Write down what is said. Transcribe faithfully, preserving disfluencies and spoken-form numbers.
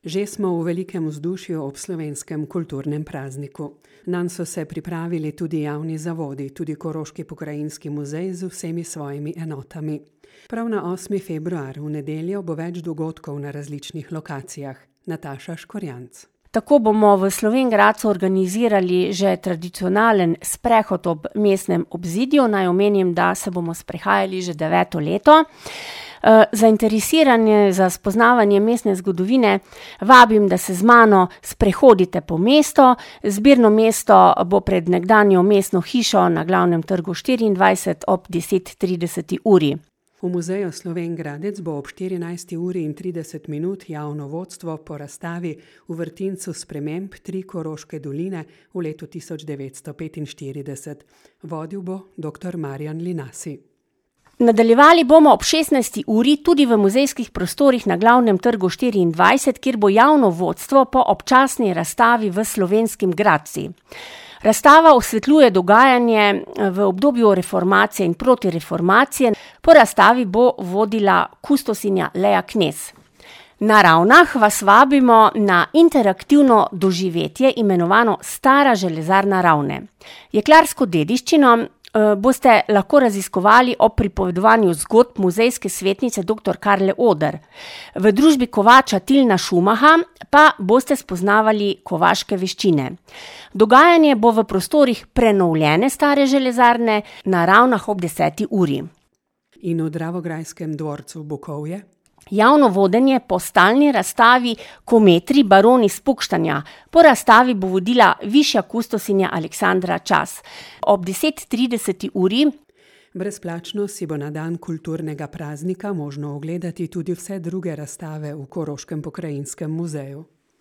Že smo v velikem vzdušju ob slovenskem kulturnem prazniku. Nanj so se pripravili tudi javni zavodi, tudi Koroški pokrajinski muzej z vsemi svojimi enotami. Prav na osmi februar, v nedeljo, bo več dogodkov na različnih lokacijah. Nataša Škorjanc. Tako bomo v Slovenj Gradcu organizirali že tradicionalen sprehod ob mestnem obzidju. Naj omenim, da se bomo sprehajali že deveto leto. Zainteresiranje za spoznavanje mestne zgodovine vabim, da se z mano sprehodite po mestu. Zbirno mesto bo pred nekdanjo mestno hišo na Glavnem trgu štiriindvajset ob deset trideset uri. V muzeju Slovenj Gradec bo ob štirinajsti uri in trideset minut javno vodstvo po razstavi v vrtincu sprememb Tri Koroške doline v letu tisoč devetsto petinštirideset. Vodil bo doktor Marjan Linasi. Nadaljevali bomo ob šestnajsti uri tudi v muzejskih prostorih na Glavnem trgu štiriindvajset, kjer bo javno vodstvo po občasni razstavi v Slovenskih Gradcih. Razstava osvetljuje dogajanje v obdobju reformacije in protireformacije. Po razstavi bo vodila kustosinja Lea Knez. Na Ravnah vas vabimo na interaktivno doživetje imenovano Stara železarna Ravne. Jeklarsko dediščino boste lahko raziskovali ob pripovedovanju zgodb muzejske svetnice doktor Karle Oder. V družbi kovača Tilna Šumaha pa boste spoznavali kovaške veščine. Dogajanje bo v prostorih prenovljene Stare železarne na Ravnah ob deseti uri. In v Dravograjskem dvorcu Bukovje? Javno vodenje po stalni razstavi Kometri baroni Spukštanja. Po razstavi bo vodila višja kustosinja Aleksandra Čas. Ob deset trideset uri brezplačno si bo na dan kulturnega praznika možno ogledati tudi vse druge razstave v Koroškem pokrajinskem muzeju.